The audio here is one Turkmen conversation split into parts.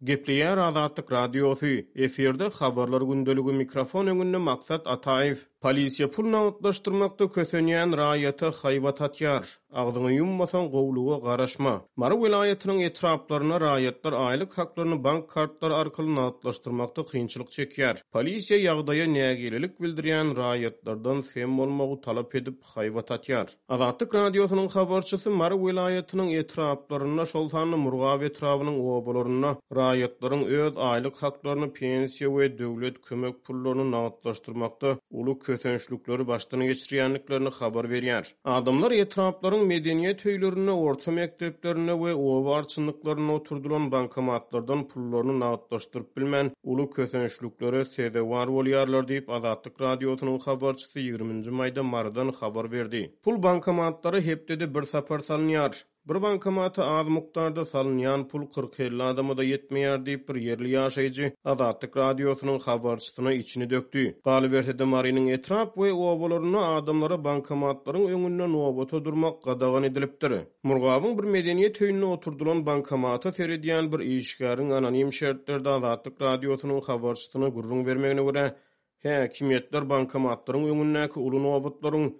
Gepleýär Azatlyk Radiosy, efirde Habarlar gündeligi mikrofon öňünde Maksat Ataýew. Polisiýa pul nagtlaşdyrmakda kösenýän raýata haýbat atýar. Agzyňy ýummasaň gowluga garaşma. Mary welaýatynyň etraplarynda raýatlar aýlyk haklaryny bank kartlary arkaly nagtlaşdyrmakda kynçylyk çekýär. Polisiýa ýagdaýa nägilelik bildirýän raýatlardan sem bolmagy talap edip, haýbat atýar. Azatlyk Radiosynyň habarçysy Mary welaýatynyň etraplarynda, şol sanda Murgap etrabynyň obalarynda raýatlaryň öz aýlyk haklaryny, pensiýa we döwlet kömek pullaryny nagtlaşdyrmakda uly kösençlikleri başdan geçirýändiklerini habar berýär. Adamlar etraplaryň medeniýet öýlerinde, orta mekdeplerinde we oba arçynlyklarynda oturdylan bankomatlardan pullaryny nagtlaşdyryp bilmän, uly kösençliklere sezewar bolýarlar diýip, Azatlyk Radiosynyň habarçysy 20-nji maýda Marydan habar berdi. Pul bankomatlara hepdede bir sapar salynýar. Bir bankomata az mukdarda salynýan pul kyrk-elli adama-da ýetmeýär diýip, bir ýerli ýaşaýjy Azatlyk Radiosynyň habarçysyna içini dökdi. Galyberse-de, Marynyň etrap we obalarynda adamlara bankomatlaryň öňünde nobata durmak gadagan edilipdir. Murgabyň bir medeniýet öýünde oturdylan bankomata seredýän bir işgäriň anonim şertlerde Azatlyk Radiosynyň habarçysyna gürrüň bermegine görä, häkimiýetler bankomatlaryň öňündäki uly nobatlaryň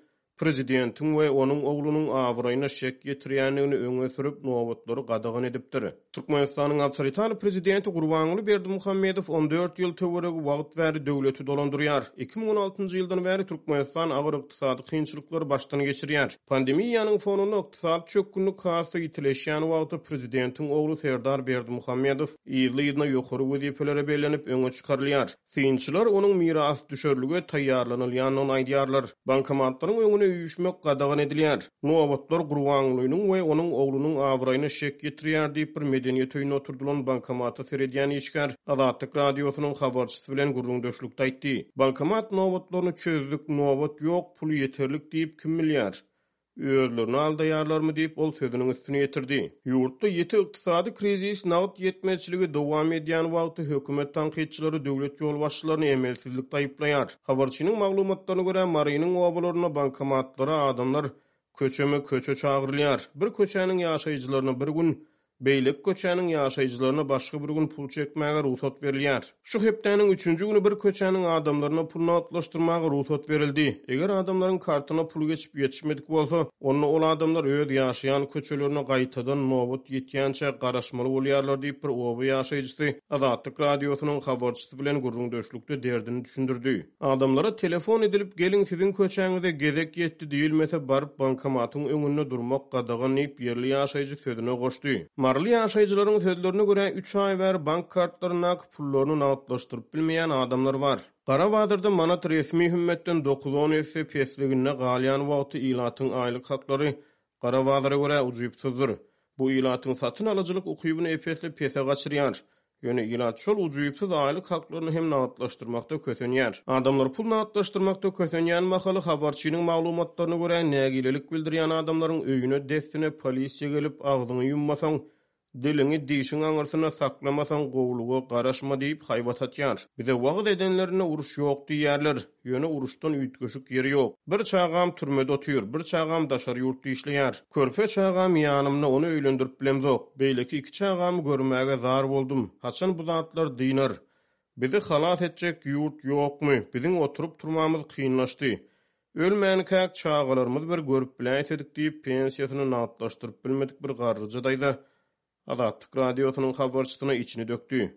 prezidentiň we onuň oglunyň abraýyna şek ýetirýändigini öňe sürüp, nobatlary gadagan edipdir. Türkmenistanyň awtoritar prezidenti Gurbanguly Berdimuhamedow 14 ýyl töweregi wagt bäri döwleti dolandyrýar. 2016-njy ýyldan bäri Türkmenistan agyr ykdysady kynçylyklary başdan geçirýär. Pandemiýanyň fonunda ykdysady çökgünlik has-da ýitileşýän wagty prezidentiň ogly Serdar Berdimuhamedow yzly-yzyna ýokary wezipelere bellenip öňe çykarylýar. Synçylar onuň mirasdüşerlige taýýarlanylýandygyny aýdýarlar. Bankomatlaryň öňüne üýşmek gadagan edilýär. Nobatlar Gurbangulynyň we onuň oglunyň abraýyna şek ýetirýär diýip, bir medeniýet öýünde oturdylan bankomata seredýän işgär Azatlyk Radiosynyň habarçysy bilen gürrüňdeşlikde aýtdy. Bankomat nobatlaryny çözdük, nobat ýok, pul ýeterlik diýip kim bilýär? Özlerini aldaýarlarmy diýip, ol sözüniň üstüni ýetirdi. Ýurtda ýiti ykdysady krizis, nagt ýetmezçiligi dowam edýän wagty hökümet tankytçylary döwlet ýolbaşçylaryny emelsizlikde aýyplaýar. Habarçynyň maglumatlaryna görä, Marynyň obalarynda bankomatlara adamlar köçeme-köçe çagyrylýar. Bir köçäniň ýaşaýjylaryna bir gün, Beýleki köçäniň ýaşaýjylaryna başga bir gün pul çekmäge rugsat berilýär. Şu hepdäniň üçünji güni bir köçäniň adamlaryna pul nagtlaşdyrmaga rugsat berildi. Eger adamlaryň kartyna pul geçip ýetişmedik bolsa, onda ol adamlar öz ýaşaýan köçelerine gaýtadan nobat ýetýänçä garaşmaly bolýarlar diýip, bir oba ýaşaýjysy Azatlyk Radiosynyň habarçysy bilen gürrüňdeşlikde derdini düşündirdi. Adamlara telefon edilip geliň siziň köçäňize gezek ýetdi diýilmese baryp bankomatyň öňünde durmak gadagan diýip ýerli ýaşaýjy sözüne goşdy. Maryly ýaşaýjylaryň sözlerine görä üç aý bäri bank kartlaryndaky pullaryny nagtlaşdyryp bilmeýän adamlar bar. Gara bazarda manat resmi hümmetden dokuz-on esse pesliginde galýan wagty ilatyň aýlyk haklary Gara bazara görä ujypsyzdyr. Bu ilatyň satyn alyjylyk ukybyny ep-esli pese gaçyrýar. Ýöne ilat şol ujypsyz aýlyk haklaryny hem nagtlaşdyrmakda kösenýär. Adamlar pul nagtlaşdyrmakda kösenýän mahaly, habarçynyň maglumatlaryna görä, nägilelik bildirýän adamlaryň öýüne dessine polisiýa gelip, agzyňy ýummasaň, Diliňi dişiň aňyrsynda saklamasaň gowulyga garaşma diýip haýbat atýar. Bize wagyz edenlerinde uruş ýok diýýärler. Ýöne uruşdan üýtgeşik ýeri ýok. Bir çagam türmede otyr, bir çagam daşary ýurtda işleýär. Körpe çagam ýanymda ony öýlendirip bilemzok. Beýleki iki çagamy görmäge zar boldum. Haçan bu zatlar dynar? Bizi halas etjek ýurt ýokmy? Biziň oturyp-turmamyz kynlaşdy. Ölmänkäk çagalarymyzy bir görüp biläýsedik diýip, pensiýasyny nagtlaşdyryp bilmedik bir garryja daýza Azatlyk Radiosynyň habarçysyna içini dökdi.